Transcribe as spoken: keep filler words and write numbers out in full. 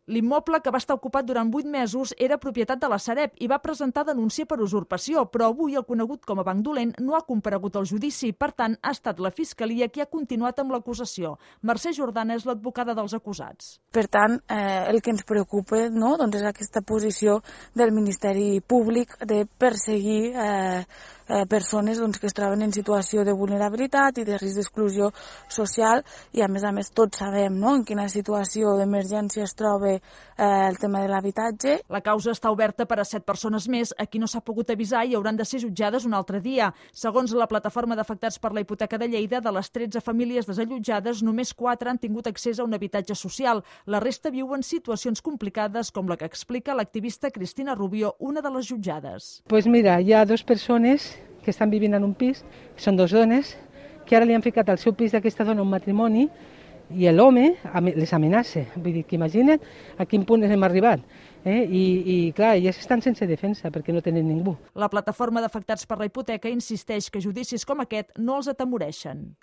L'immoble, que va estar ocupat durant vuit mesos, era propietat de la Sareb i va presentar denúncia per usurpació, però avui el conegut com a banc dolent no ha comparegut al judici. Per tant, ha estat la Fiscalia qui ha continuat amb l'acusació. Mercè Jordana és l'advocada dels acusats. Per tant, eh, el que ens preocupa, no?, doncs és aquesta posició del Ministeri Públic de perseguir eh, eh, persones doncs, que es troben en situació de vulnerabilitat i de risc d'exclusió social i, a més a més, tots sabem, no?, en quina situació d'emergència es troba eh, el tema de l'habitatge. La causa està oberta per a set persones més a qui no s'ha pogut avisar i hauran de ser jutjades un altre dia. Segons la plataforma d'afectats per la hipoteca de Lleida, de les tretze famílies desallotjades, només quatre han tingut accés a un habitatge social. La resta viuen situacions complicades, com la que explica l'activista Cristina Rubio, una de les jutjades. Pues mira, hi ha dues persones que estan vivint en un pis, són dues dones, que ara li han ficat al seu pis d'aquesta dona un matrimoni i l'home les amenaça. Vull dir que imagina't a quin punt hem arribat. Eh? I, I, clar, elles estan sense defensa perquè no tenen ningú. La plataforma d'afectats per la hipoteca insisteix que judicis com aquest no els atemoreixen.